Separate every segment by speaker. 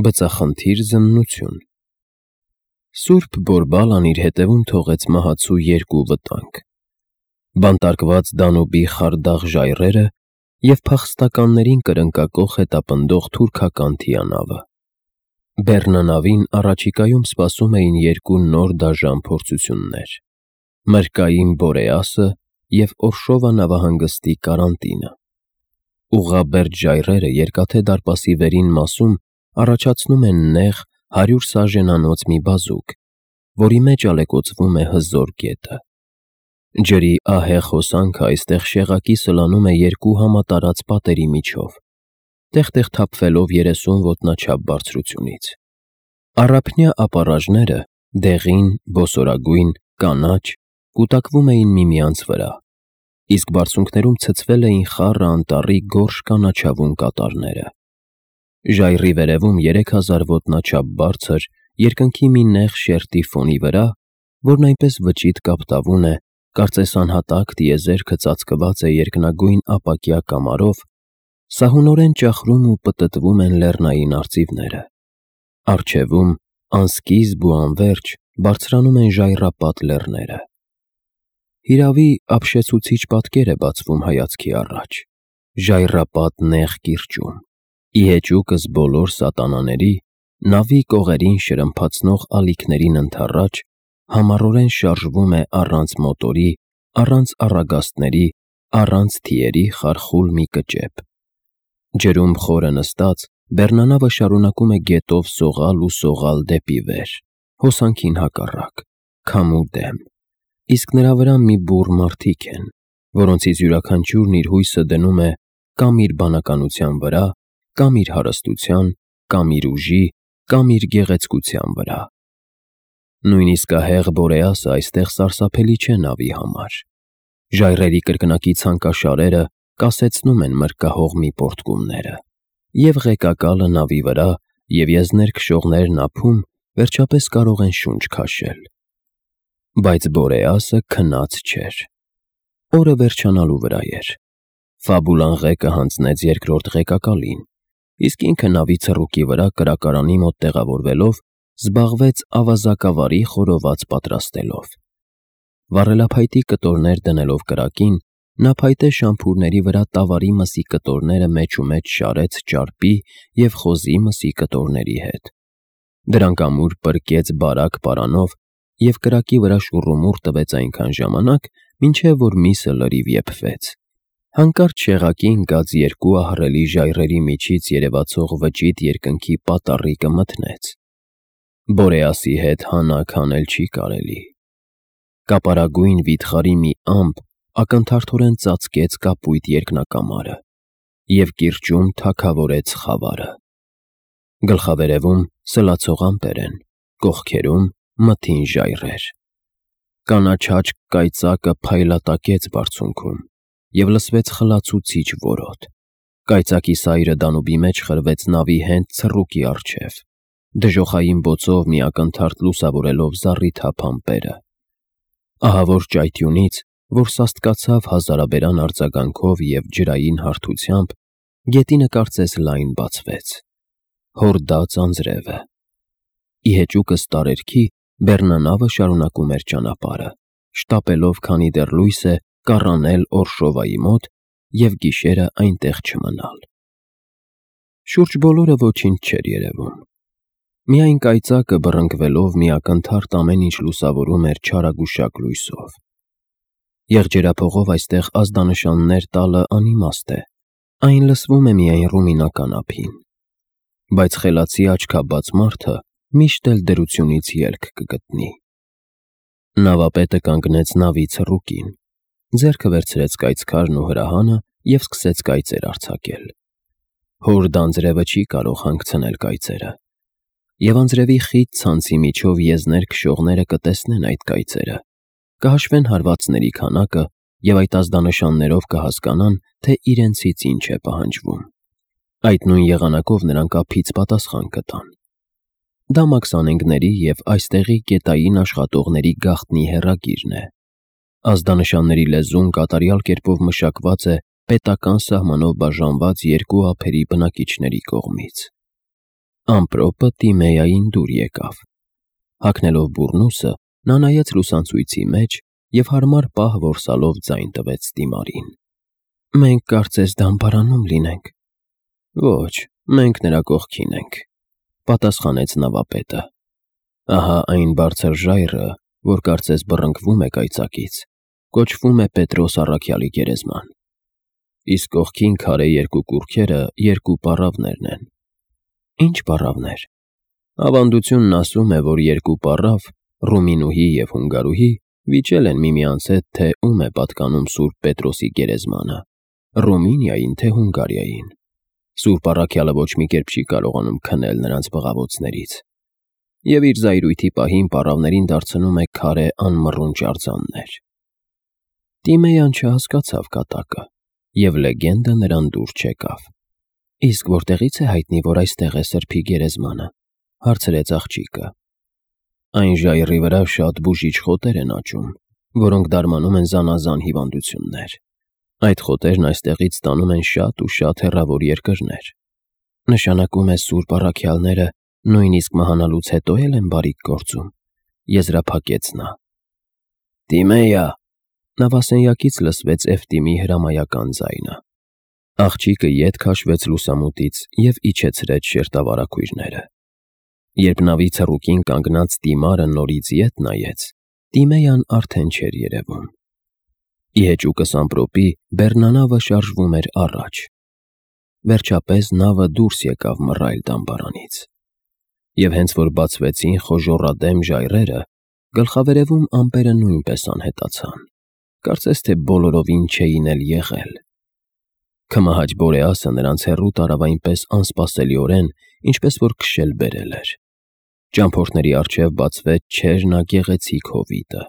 Speaker 1: Բծախնդիր զննություն։ Սուրբ Բորբալան իր հետևում թողեց մահացու երկու վտանգ. բանտարկված Դանուբի խարդախ ժայռերը և փախստականներին կրնկակոխ հետապնդող թուրքական թիանավը։ Բեռնանավին առաջիկայում սպասում էին երկու նոր դաժան փորձություններ՝ մրրկային Բորեասը և Օրշովա նավահանգստի կարանտինը։ Ուղղաբերդ ժայռերը Երկաթե դարպասի վերին մասում առաջացնում են նեղ 100 սաժենանոց մի բազուկ, որի մեջ ալեկոծվում է հզոր գետը։ Ջրի ահեղ հոսանքը այստեղ շեղակի սլանում է երկու համատարած պատերի միջով, տեղ-տեղ թափվելով 30 ոտնաչափ բարձրությունից։ Առափնյա ապառաժները՝ դեղին, բոսորագույն, կանաչ, կուտակվում էին միմյանց վրա, իսկ բարձունքներում ցցվել էին խառը անտառի գորշ կանաչավուն կատարները։ Ժայռի վերևում 3000 ոտնաչափ բարձր, երկնքի մի նեղ շերտի ֆոնի վրա, որն այնպես վճիտ կապտավուն է, կարծես անհատակ տիեզերքը ծածկված է երկնագույն ապակյա կամարով, սահունորեն ճախրում ու պտտվում են լեռնային արծիվները։ Առջևում, անսկիզբ ու անվերջ, բարձրանում են ժայռապատ լեռները։ Հիրավի, ապշեցուցիչ պատկեր է բացվում հայացքի առաջ՝ ժայռապատ նեղ կիրճում։ Ի հեճուկս բոլոր սատանաների, նավի կողերին շրմփացնող ալիքներին ընդառաջ, համառորեն շարժվում է առանց մոտորի, առանց առագաստների, առանց թիերի խարխուլ մի կճեպ։ Ջրում խորը նստած, բեռնանավը շարունակում է գետով սողալ ու սողալ դեպի վեր, հոսանքին հակառակ, քամու դեմ, իսկ նրա վրա մի բուռ մարդիկ են, որոնցից յուրաքանչյուրն իր հույսը դնում է կամ իր բանականության վրա, կամ իր հարստության, կամ իր ուժի, կամ իր գեղեցկության վրա։ Նույնիսկ ահեղ Բորեասը այստեղ սարսափելի չէ նավի համար։ Ժայռերի կրկնակի ցանկաշարերը կասեցնում են մրրկահող մի պոռթկումները, և ղեկակալը նավի վրա և եզներ քշողներն ափում վերջապես կարող են շունչ քաշել։ Բայց Բորեասը քնած չէր։ Օրը վերջանալու վրա էր։ Ֆաբուլան ղեկը հանձնեց երկրորդ ղեկակալին, իսկ ինքը նավի ցռուկի վրա կրակարանի մոտ տեղավորվելով զբաղվեց ավազակավարի խորոված պատրաստելով։ Վառելափայտի կտորներ դնելով կրակին, նա փայտե շամփուրների վրա տավարի մսի կտորները մեջումեջ շարեց ճարպի և խոզի մսի կտորների հետ։ Դրանք ամուր պրկեց բարակ պարանով և կրակի վրա շուռումուռ տվեց այնքան ժամանակ, մինչև որ միսը լրիվ եփվեց։ Հանկարծ շեղակի ընկած երկու ահռելի ժայռերի միջից երևացող վճիտ երկնքի պատառիկը մթնեց։ Բորեասի հետ հանակ հանել չի կարելի։ Կապարագույն վիթխարի մի ամպ ակնթարթորեն ծածկեց կապույտ երկնակամարը և կիրճում թագավորեց խավարը։ Գլխավերևում սլացող ամպեր են, կողքերում մթին ժայռեր։ Կանաչաճ կայծակը փայլատակեց բարձունքում, և լսվեց խլացուցիչ որոտ։ Կայծակի սայրը Դանուբի մեջ խրվեց նավի հենց ցռուկի առջև, դժոխային բոցով մի ակնթարթ լուսավորելով զառիթափ ամպերը։ Ահավոր ճայթյունից, որ սաստկացավ հազարաբերան արձագանքով և ջրային հարթությամբ, գետինը կարծես լայն բացվեց։ Հորդաց անձրևը։ Ի հեճուկս տարերքի բեռնանավը շարունակում էր ճանապարհը, շտապելով, քանի դեռ լույս է, կառանել Օրշովայի մոտ և գիշերը այնտեղ չմնալ։ Շուրջ բոլորը ոչինչ չէր երևում։ Միայն կայծակը բռնկվելով մի ակնթարթ ամեն ինչ լուսավորում էր չարագուշակ լույսով։ Եղջերափողով այստեղ ազդանշաններ տալը անիմաստ է, այն լսվում է միայն ռումինական ափին։ Բայց խելացի աչքաբաց մարդը միշտ էլ դրությունից ելք կգտնի։ Նավապետը կանգնեց նավի ցռուկին, ձեռքը վերցրեց կայծքարն ու հրահանը և սկսեց կայծեր արձակել։ Հորդ անձրևը չի կարող հանգցնել կայծերը, և անձրևի խիտ ցանցի միջով եզներ քշողները կտեսնեն այդ կայծերը, կհաշվեն հարվածների քանակը և այդ ազդանշաններով կհասկանան, թե իրենցից ինչ է պահանջվում։ Այդ նույն եղանակով նրանք ափից պատասխան կտան։ Դա մաքսանենգների և այստեղի գետային աշխատողների գաղտնի հեռագիրն է։ Ազդանշանների լեզուն կատարյալ կերպով մշակված է պետական սահմանով բաժանված երկու ափերի բնակիչների կողմից։ Ամպրոպը Տիմեային դուր եկավ։ Հագնելով բուռնուսը, նա նայեց լուսանցույցի մեջ և հարմար պահ որսալով ձայն տվեց Տիմարին։ «Մենք կարծես դամբարանում լինենք»։ «Ոչ, մենք նրա կողքին ենք», պատասխանեց նավապետը։ «Ահա այն բարձր ժայռը, որ կարծես բռնկվում է կայծակից, կոչվում է Պետրոս առաքյալի գերեզման։ Իսկ կողքին քարե երկու կուռքերը երկու պառավներն են»։ «Ի՞նչ պառավներ»։ «Ավանդությունն ասում է, որ երկու պառավ, Ռումինուհի և Հունգարուհի, վիճել են միմյանց հետ, թե ում է պատկանում Սուրբ Պետրոսի գերեզմանը՝ Ռումինիային, թե Հունգարիային։ Սուրբ առաքյալը ոչ մի կերպ չի կարողանում քնել նրանց բղավոցներից, և իր զայրույթի պահին պառավներին դարձնում է քարե անմռունչ արձաններ»։ Տիմեյան չհասկացավ կատակը, և լեգենդը նրան դուր չեկավ։ «Իսկ որտեղից է հայտնի, որ այստեղ է Սրբի գերեզմանը»։ Հարցրեց աղջիկը։ «Այն ժայռի վրա շատ բուժիչ խոտեր են աճում, որոնք դարմանում են զանազան հիվանդություններ։ Այդ խոտերն այստեղից ստանում են շատ ու շատ հեռավոր երկրներ»։ «Նշանակում է Սուրբ առաքյալները նույնիսկ մահանալուց հետո էլ են բարիք գործում», եզրափակեց նա։ «Տիմեյա»։ Նավասենյակից լսվեց Էֆտիմի հրամայական ձայնը։ Աղջիկը ետ քաշվեց լուսամուտից և իջեցրեց շերտավարագույրները։ Երբ նավի ցռուկին կանգնած Տիմարը նորից ետ նայեց, Տիմեյան արդեն չէր երևում։ Ի հեճուկս ամպրոպի բեռնանավը շարժվում էր առաջ։ Վերջապես նավը դուրս եկավ մռայլ դամբարանից։ Եվ հենց որ բացվեցին խոժոռադեմ ժայռերը, գլխավերևում ամպերը նույնպես անհետացան, կարծես թե բոլորովին չէին էլ եղել։ Քմահաճ Բորեասը նրանց հեռու տարավ այնպես անսպասելիորեն, ինչպես որ քշել բերել էր։ Ճամփորդների առջև բացվեց չերնագեղեցիկ հովիտը։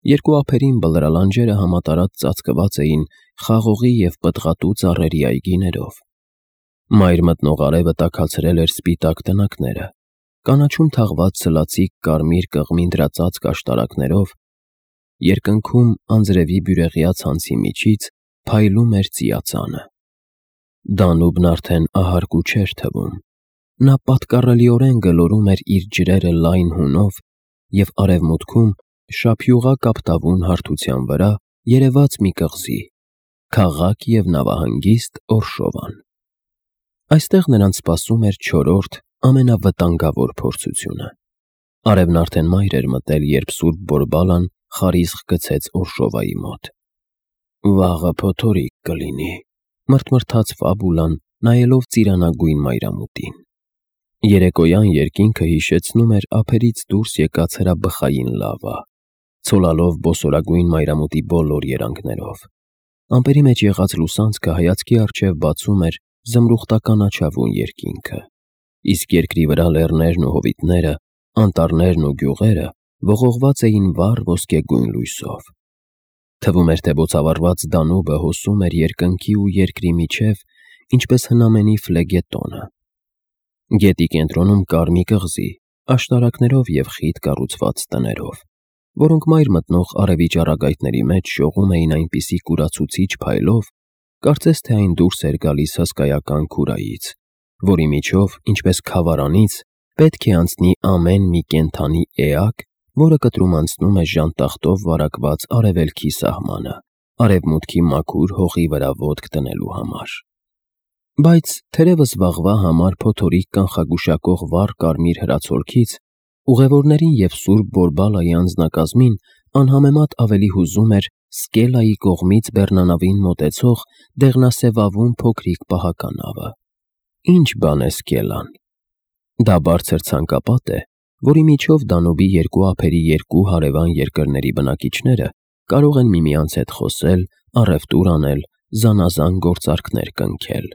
Speaker 1: Երկու ափերին բլրալանջերը համատարած ծածկված էին խաղողի և պտղատու ծառերի այգիներով։ Մայր մտնող արևը տաքացրել էր սպիտակ տնակները, կանաչում թաղված սլացիկ կարմիր կղմինդրածածկ աշտարակներով, երկնքում անձրևի բյուրեղյա ցանցի միջից փայլում էր ծիածանը։ Դանուբն արդեն ահարկու չէր թվում։ Նա պատկառելիորեն գլորում էր իր ջրերը լայն հունով, և արևմուտքում, շափյուղա կապտավուն հարթության վրա, երևաց մի կղզի՝ քաղաք և նավահանգիստ Օրշովան։ Այստեղ նրանց սպասում էր չորրորդ, ամենավտանգավոր փորձությունը։ Արևն արդեն մայր էր մտել, երբ Սուրբ Բորբալան խարիսխ գցեց Օրշովայի մոտ։ «Վաղը փոթորիկ կլինի», մռթմռթաց Ֆաբուլան, նայելով ծիրանագույն մայրամուտին։ Երեկոյան երկինքը հիշեցնում էր ափերից դուրս եկած հրաբխային լավա, ցոլալով բոսորագույն մայրամուտի բոլոր երանգներով։ Ամպերի մեջ եղած լուսանցքը հայացքի առջև բացում էր զմրուխտականաչավուն երկինքը, իսկ երկրի վրա լեռներն ու հովիտները, անտառներն ու գյուղերը ողողված էին վառ ոսկեգույն լույսով։ Թվում էր, թե բոցավառված Դանուբը հոսում էր երկնքի ու երկրի միջև, ինչպես հնամենի ֆլեգետոնը։ Գետի կենտրոնում կար մի կղզի, աշտարակներով և խիտ կառուցված տներով, որոնք մայր մտնող արևի ճառագայթների մեջ շողում էին այնպիսի կուրացուցիչ փայլով, կարծես թե այն դուրս էր գալիս հսկայական քուրայից, որի միջով, ինչպես քավարանից, պետք է անցնի ամեն մի կենդանի էակ, որը կտրում անցնում է ժանտախտով վարակված արևելքի սահմանը, արևմուտքի մաքուր հողի վրա ոտք դնելու համար։ Բայց թերևս վաղվա համար փոթորիկ կանխագուշակող վառ կարմիր հրացոլքից ուղևորներին և Սուրբ Բորբալայի անձնակազմին անհամեմատ ավելի հուզում էր Սկելայի կողմից բեռնանավին մոտեցող դեղնասևավուն փոքրիկ պահականավը։ Ինչ բան է Սկելան։ Դա բարձր ցանկապատ է, որի միջով Դանուբի երկու ափերի երկու հարևան երկրների բնակիչները կարող են միմյանց հետ խոսել, առևտուր անել, զանազան գործարքներ կնքել։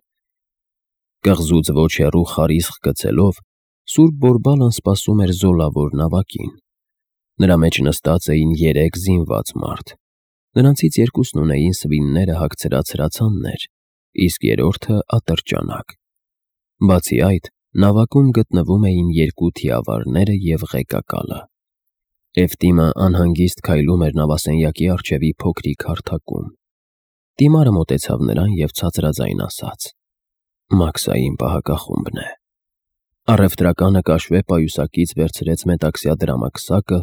Speaker 1: Կղզուց ոչ հեռու խարիսխ գցելով, Սուրբ Բորբալան սպասում էր զոլավոր նավակին։ Նրա մեջ նստած էին 3 զինված մարդ։ Նրանցից երկուսն ունեին սվինները հագցրած հրացաններ, իսկ երրորդը ատրճանակ։ Բացի այդ, նավակում գտնվում էին 2 թիավարները և ղեկակալը։ Էֆտիմը անհանգիստ քայլում էր նավասենյակի առջևի փոքրիկ հարթակում։ Տիմարը մոտեցավ նրան և ցածրաձայն ասաց. «Մաքսային պահակախումբն է»։ Առևտրականը կաշվե պայուսակից վերցրեց մետաքսյա դրամակսակը,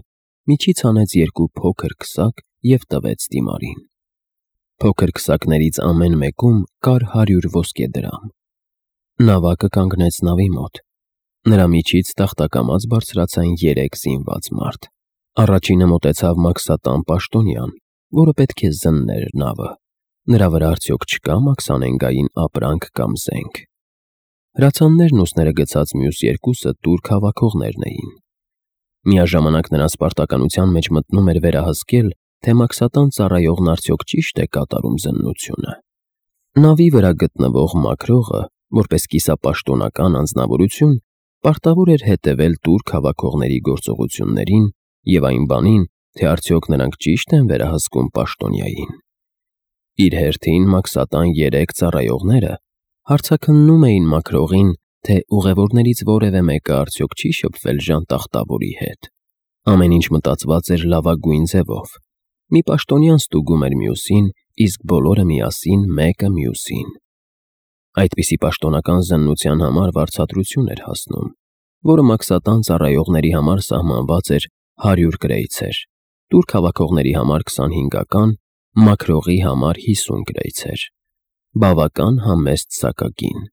Speaker 1: միջից հանեց 2 փոքր քսակ և տվեց դիմարին։ Փոքր քսակներից ամեն մեկում կար 100 ոսկե դրամ։ Նավակը կանգնեց նավի մոտ։ Նրա միջից տախտակամած բարձրացան 3 զինված մարդ։ Առաջինը մոտեցավ Մաքսատան պաշտոնյան, որը պետք է զններ նավը։ Նրա վրա արդյոք չկա մաքսանենգային ապրանք կամ զենք։ Հրացաններն ուսները գցած մյուս երկուսը տուրք հավաքողներն էին։ Միաժամանակ նրանց պարտականության մեջ մտնում էր վերահսկել, թե Մաքսատան ծառայողն արդյոք ճիշտ է կատարում զննությունը։ Նավի վրա գտնվող մաքրողը, որպես կիսապաշտոնական անձնավորություն, պարտավոր էր հետևել տուրք հավաքողների գործողություններին և այն բանին, թե արդյոք նրանք ճիշտ են վերահսկում պաշտոնյային։ Իր հերթին Մաքսատան 3 ծառայողները հարցաքննում էին մաքրողին, թե ուղևորներից որևէ մեկը արդյոք չի շփվել ժանտախտավորի հետ։ Ամեն ինչ մտածված էր լավագույն ձևով։ Մի պաշտոնյան ստուգում էր մյուսին, իսկ բոլորը միասին մեկը մյուսին։ Այդպիսի պաշտոնական զննության համար վարձատրություն էր հասնում, որը Մաքսատան ծառայողների համար սահմանված էր 100 կրեյցեր, տուրք հավաքողների համար 25-ական, մաքրողի համար 50 կրեյցեր։ Բավական համեստ սակագին։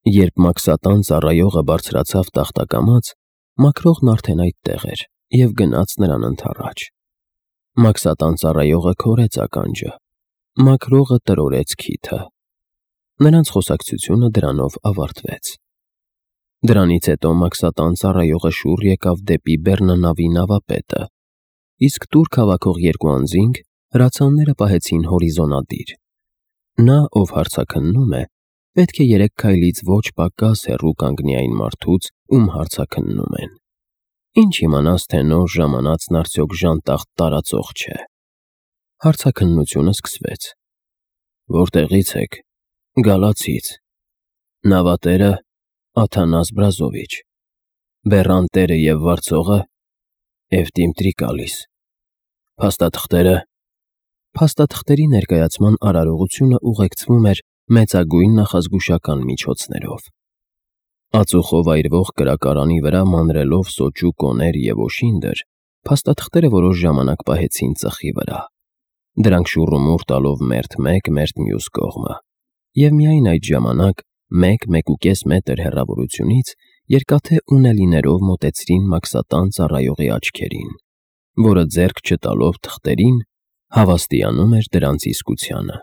Speaker 1: Երբ Մաքսատան ծառայողը բարձրացավ տախտակամած, մաքրողն արդեն այդտեղ էր և գնաց նրան ընդառաջ։ Մաքսատան ծառայողը քորեց ականջը։ Մաքրողը տրորեց քիթը։ Նրանց խոսակցությունը դրանով ավարտվեց։ Դրանից հետո Մաքսատան ծառայողը շուռ եկավ դեպի բեռննավի նավապետը, իսկ տուրք հավաքող 2 անձինք հրացանները պահեցին հորիզոնադիր։ Նա, ով հարցաքննում է, պետք է 3 քայլից ոչ պակաս հեռու կանգնի այն մարդուց, ում հարցաքննում են։ Ինչ իմանաս, թե նոր ժամանածն արդյոք ժանտախտ տարածող չէ։ Հարցաքննությունը սկսվեց։ Որտեղից եք։ Գալացից։ Նավատերը Աթանաս Բրազովիչ։ Բեռանտերը և վարձողը Էվտիմ Տրիկալիս։ Փաստաթղթերը։ Փաստաթղթերի ներկայացման արարողությունը ուղեկցվում էր մեծագույն նախազգուշական միջոցներով։ Ածուխով այրվող կրակարանի վրա մանրելով սոճու կոներ և օշինդր, փաստաթղթերը որոշ ժամանակ պահեցին ծխի վրա։ Դրանք շուռումուռ տալով մերթ մեկ, մերթ մյուս կողմը։ Եվ միայն այդ ժամանակ 1-1.5 մետր հեռավորությունից երկաթե ունելիներով մոտեցրին Մաքսատան ծառայողի աչքերին, որը ձեռք չտալով թղթերին, հավաստիանում էր դրանց իսկությանը։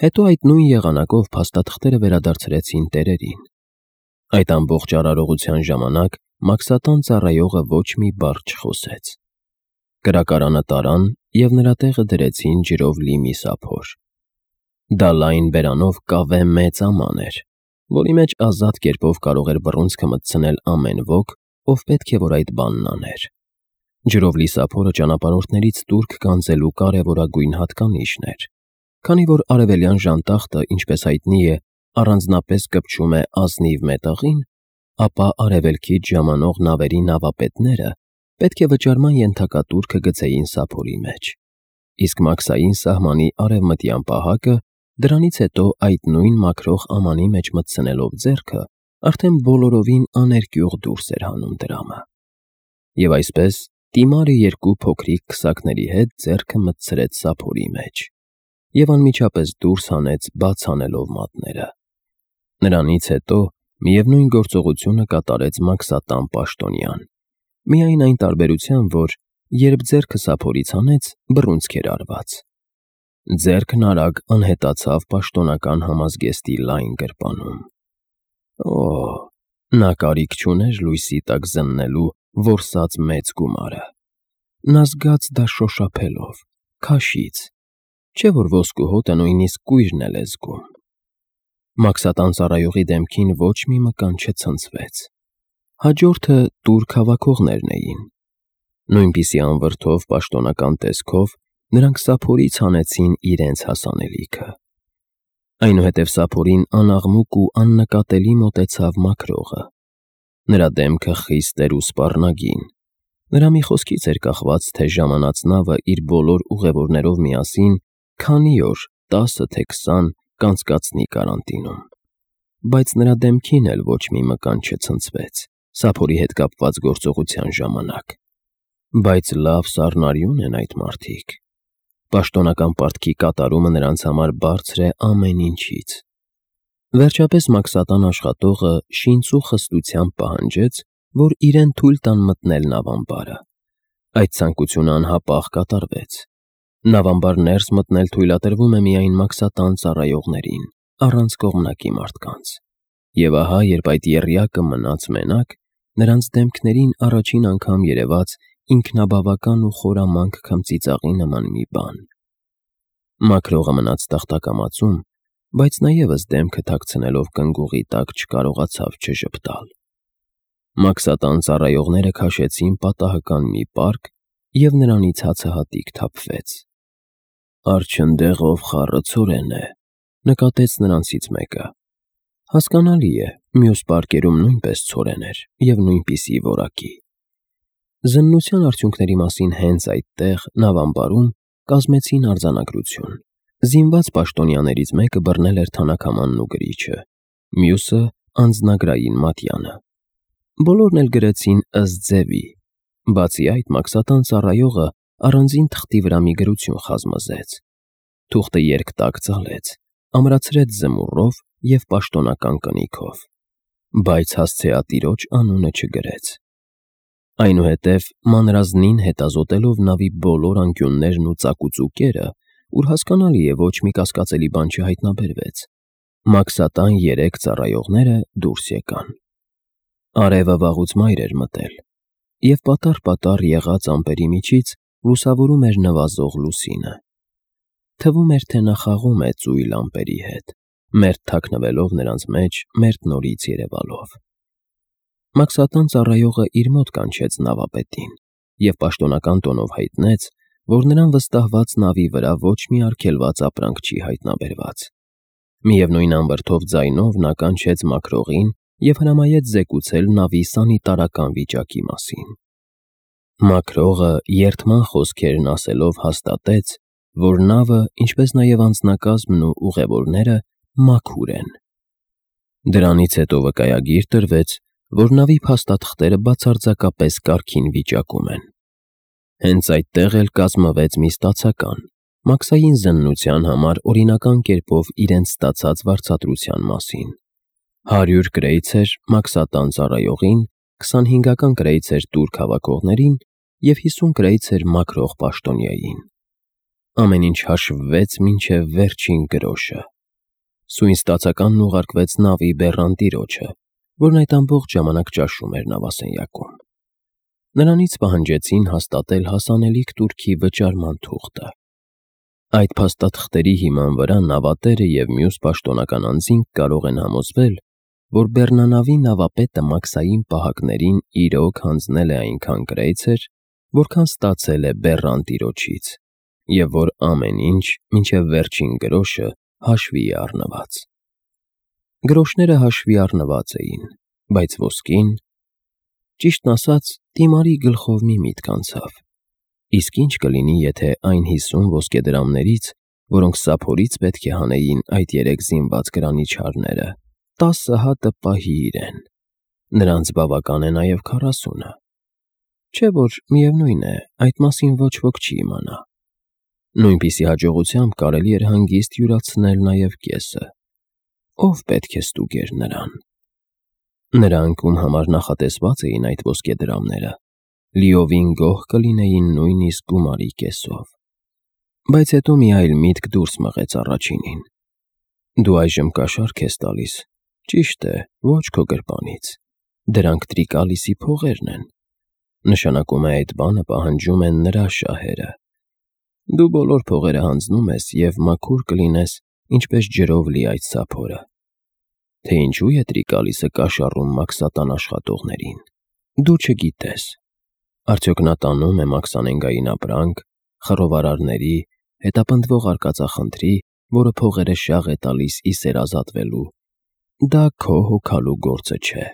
Speaker 1: Հետո այդ նույն եղանակով փաստաթղթերը վերադարձրեցին տերերին։ Այդ ամբողջ արարողության ժամանակ Մաքսատան ծառայողը ոչ մի բառ չխոսեց։ Կրակարանը տարան և նրա տեղը դրեցին ջրով լի մի սափոր։ Դա լայն բերանով կավե մեծ աման էր, որի մեջ ազատ կերպով կարող էր բռունցքը մտցնել ամեն ոք, ով պետք է որ այդ բանն աներ։ Ջրով լի սափորը ճանապարհորդներից տուրք գանձելու կարևորագույն հատկանիշն էր, քանի որ արևելյան ժանտախտը, ինչպես հայտնի է, առանձնապես կպչում է ազնիվ մետաղին, ապա արևելքից ժամանող նավերի նավապետները պետք է վճարման ենթակա տուրքը գցեին սափորի մեջ, իսկ մաքսային սահմանի արևմտյան պահակը դրանից հետո այդ նույն մաքրող ամանի մեջ մտցնելով ձեռքը արդեն բոլորովին աներկյուղ դուրս էր հանում դրամը։ Եվ այսպես Տիմարը 2 փոքրիկ քսակների հետ ձեռքը մտցրեց սափորի մեջ և անմիջապես դուրս հանեց բաց անելով մատները։ Նրանից հետո միևնույն գործողությունը կատարեց Մաքսատան պաշտոնյան, միայն այն տարբերությամբ, որ երբ ձեռքը սափորից հանեց, բռունցք էր արված։ Ձեռքն արագ անհետացավ պաշտոնական համազգեստի լայն գրպանում։ Նա կարիք չուներ լույսի տակ զննելու որսած մեծ գումարը։ Նա զգաց դա շոշափելով, քաշից, չէ՞ որ ոսկու հոտը նույնիսկ կույրն էլ է զգում։ Մաքսատան ծառայողի դեմքին ոչ մի մկան չցնցվեց։ Հաջորդը տուրք հավաքողներն էին։ Նույնպիսի անվրդով պաշտոնական տեսքով նրանք սափորից հանեցին իրենց հասանելիքը։ Այնուհետև սափորին անաղմուկ ու աննկատելի մոտեցավ մաքրողը։ Նրա դեմքը խիստ էր ու սպառնագին։ Նրա մի խոսքից էր կախված, թե ժամանած նավը իր բոլոր ուղևորներով միասին քանի օր, 10 թե 20 կանցկացնի կարանտինում։ բայց նրա դեմքին էլ ոչ մի մկան չցնցվեց սափորի հետ կապված գործողության ժամանակ։ Բայց լավ սառնարյուն են այդ մարդիկ։ Պաշտոնական պարտքի կատարումը նրանց համար բարձր է ամեն ինչից։ Վերջապես մաքսատան աշխատողը շինծու խստությամբ պահանջեց, որ իրեն թույլ տան մտնել նավամբարը։ Այդ ցանկությունը անհապաղ կատարվեց։ Նավամբար ներս մտնել թույլատրվում է միայն մաքսատան ծառայողներին, առանց կողմնակի մարդկանց։ Եվ ահա, երբ այդ եռյակը մնաց մենակ, նրանց դեմքներին առաջին անգամ երևաց ինքնաբավական ու խորամանկ քմծիծաղի նման մի բան։ Մաքրողը մնաց տախտակամածում, բայց նա ևս դեմքը թաքցնելով կնգուղի տակ չկարողացավ չժպտալ։ Մաքսատան ծառայողները քաշեցին պատահական մի պարկ, և նրանից հացահատիկ թափվեց։ «Արջընդեղով խառը ցորեն է», նկատեց նրանցից մեկը։ Հասկանալի է, մյուս պարկերում նույնպես ցորեն էր և նույնպիսի որակի։ Զննության արդյունքների մասին հենց այդտեղ, նավամբարում, կազմեցին արձանագրություն։ Զինված պաշտոնյաներից մեկը բռնել էր թանաքամանն ու գրիչը, մյուսը՝ անձնագրային մատյանը։ Բոլորն էլ գրեցին ըստ ձևի։ Բացի այդ, մաքսատան ծառայողը առանձին թղթի վրա մի գրություն խազմզեց։ Թուղթը երկտակ ծալեց, ամրացրեց զմուռով և պաշտոնական կնիքով, բայց հասցեատիրոջ անունը չգրեց։ Այնուհետև, մանրազնին հետազոտելով նավի բոլոր անկյուններն ու ծակուծուկերը, ուր հասկանալի է ոչ մի կասկածելի բան չհայտնաբերվեց, մաքսատան 3 ծառայողները դուրս եկան։ Արևը վաղուց մայր էր մտել, և պատառ-պատառ եղած ամպերի միջից լուսավորում էր նվազող լուսինը։ Թվում էր, թե նա խաղում է ծույլ ամպերի հետ, մերթ թաքնվելով նրանց մեջ, մերթ նորից երևալով։ Մաքսատան ծառայողը իր մոտ կանչեց նավապետին և պաշտոնական տոնով հայտնեց, որ նրան վստահված նավի վրա ոչ մի արգելված ապրանք չի հայտնաբերված։ Միևնույն անվրդով ձայնով նա կանչեց մաքրողին և հրամայեց զեկուցել նավի սանիտարական վիճակի մասին։ Մաքրողը երդման խոսքերն ասելով հաստատեց, որ նավը, ինչպես նաև անձնակազմն ու ուղևորները մաքուր են։ Դրանից հետո վկայագիր տրվեց, որ նավի փաստաթղթերը բացարձակապես կարգին վիճակում են։ Հենց այդտեղ էլ կազմվեց մի ստացական, մաքսային զննության համար օրինական կերպով իրենց ստացած վարձատրության մասին։ 100 կրեյցեր մաքսատան ծառայողին, 25 կրեյցեր տուրք հավաքողներին և 50 կրեյցեր մաքրող պաշտոնյային։ Ամեն ինչ հաշվվեց մինչև վերջին գրոշը։ Սույն ստացականն ուղարկվեց նավի բեռնատիրոջը, որն այդ ամբողջ ժամանակ ճաշում էր նավասենյակում։ Նրանից պահանջեցին հաստատել հասանելիք տուրքի վճարման թուղթը։ Այդ փաստաթղթերի հիման վրա նավատերը և մյուս պաշտոնական անձինք կարող են համոզվել, որ բեռնանավի նավապետը մաքսային պահակներին իրոք հանձնել է այնքան կրեյցեր, որքան ստացել է բեռնատիրոջից, և որ ամեն ինչ, մինչև վերջին գրոշը, հաշվի է առնված։ Գրոշները հաշվի առնված էին, բայց ոսկին… Ճիշտն ասած, Տիմարի գլխով մի միտք անցավ. իսկ ինչ կլինի, եթե այն 50 ոսկեդրամներից, որոնք սափորից պետք է հանեին այդ 3 զինված գրանիչարները, 10 հատը պահի իրեն։ Նրանց բավական է նաև 40-ը։ Չէ՞ որ միևնույն է, այդ մասին ոչ ոք չի իմանա։ Նույնպիսի հաջողությամբ կարելի էր հանգիստ յուրացնել նաև կեսը։ Ով պետք է ստուգեր նրան։ Նրանք, ում համար նախատեսված էին այդ ոսկեդրամները, լիովին գոհ կլինեին նույնիսկ գումարի կեսով։ Բայց հետո մի այլ միտք դուրս մղեց առաջինին. դու այժմ կաշառք ես տալիս, ճիշտ է, ոչ քո գրպանից, դրանք Տրիկալիսի փողերն են, նշանակում է այդ բանը պահանջում են նրա շահերը։ Դու բոլոր փողերը հանձնում ես և մաքուր կլինես, ինչպես ջրով լի այդ սափորը։ Թե ինչու է Տրիկալիսը կաշառում մաքսատան աշխատողներին, դու չգիտես։ Արդյոք նա տանում է մաքսանենգային ապրանք, խռովարարների, հետապնդվող արկածախնդրի, որը փողերը շաղ է տալիս ի սեր ազատվելու։ Դա քո հոգալու գործը չէ։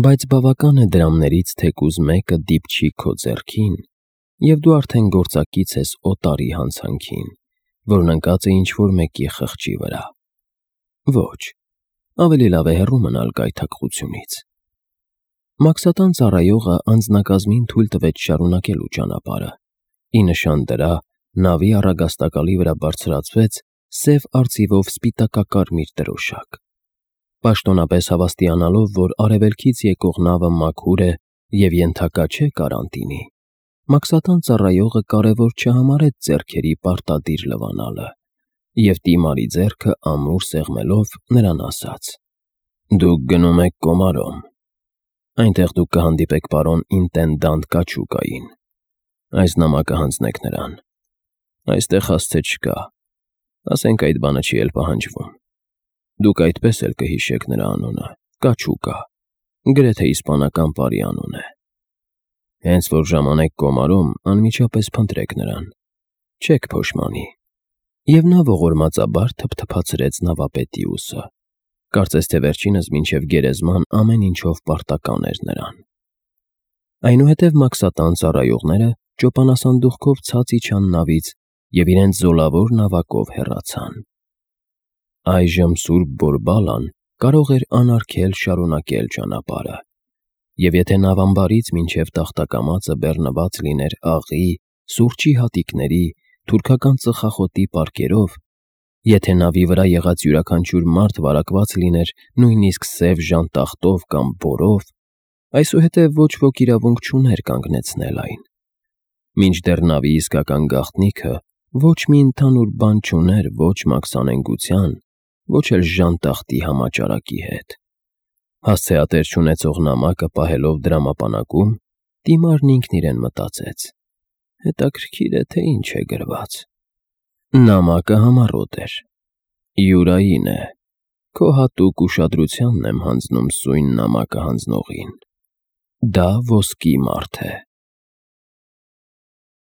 Speaker 1: Բայց բավական է դրամներից թեկուզ մեկը դիպչի քո ձեռքին, և դու արդեն գործակից ես օտարի հանցանքին, որն ընկած է ինչ-որ մեկի խղճի վրա։ Ոչ, ավելի լավ է հեռու մնալ գայթակղությունից։ Մաքսատան ծառայողը անձնակազմին թույլ տվեց շարունակելու ճանապարհը։ Ի նշան դրա նավի առագաստակալի վրա բարձրացվեց սև արծիվով սպիտակակարմիր դրոշակ։ Պաշտոնապես հավաստիանալով, որ արևելքից եկող նավը մաքուր է և ենթակա չէ կարանտինի, Մաքսատան ծառայողը կարևոր չհամարեց ձեռքերի պարտադիր լվանալը և դիմարի ձեռքը ամուր սեղմելով նրան ասաց. «Դուք գնում եք Կոմարոմ։ Այնտեղ դուք կհանդիպեք պարոն ինտենդանտ Կաչուկային։ Այս նամակը հանձնեք նրան։ Այստեղ հասցե չկա, ասենք այդ բանը չի էլ պահանջվում։ Դուք այդպես էլ կհիշեք նրա անունը՝ Կաչուկա, գրեթե իսպանական պարի անուն է։ Հենց որ ժամանեք Կոմարոմ, անմիջապես փնտրեք նրան, չեք փոշմանի»։ Եվ նա ողորմածաբար թփթփացրեց նավապետի ուսը։ Կարծես թե վերջինս մինչև գերեզման ամեն ինչով պարտական էր նրան։ Այնուհետև Մաքսատան ծառայողները ճոպանասանդուղքով ցած իջան նավից և իրենց զոլավոր նավակով հեռացան։ Այժմ Սուրբ Բորբալան կարող էր անարգել շարունակել ճանապարհը, և եթե նավամբարից մինչև տախտակամածը բեռնված լիներ աղի, սուրճի հատիկների, թուրքական ծխախոտի պարկերով, եթե նավի վրա եղած յուրաքանչյուր մարդ վարակված լիներ նույնիսկ սև ժանտախտով կամ բորով, այսուհետև ոչ ոք իրավունք չուներ կանգնեցնել այն։ Մինչդեռ նավի իսկական գաղտնիքը ոչ մի ընդհանուր բան չուներ ոչ մաքսանենգության, ոչ էլ ժանտախտի համաճարակի հետ։ Հասցեատեր չունեցող նամակը պահելով դրամապանակում, դիմարն ինքն իրեն մտածեց. հետաքրքիր է, թե ինչ է գրված։ Նամակը համառոտ էր։ Յուրային է։ Քո հատուկ ուշադրությանն եմ հանձնում սույն նամակը հանձնողին։ Դա ոսկի մարդ է։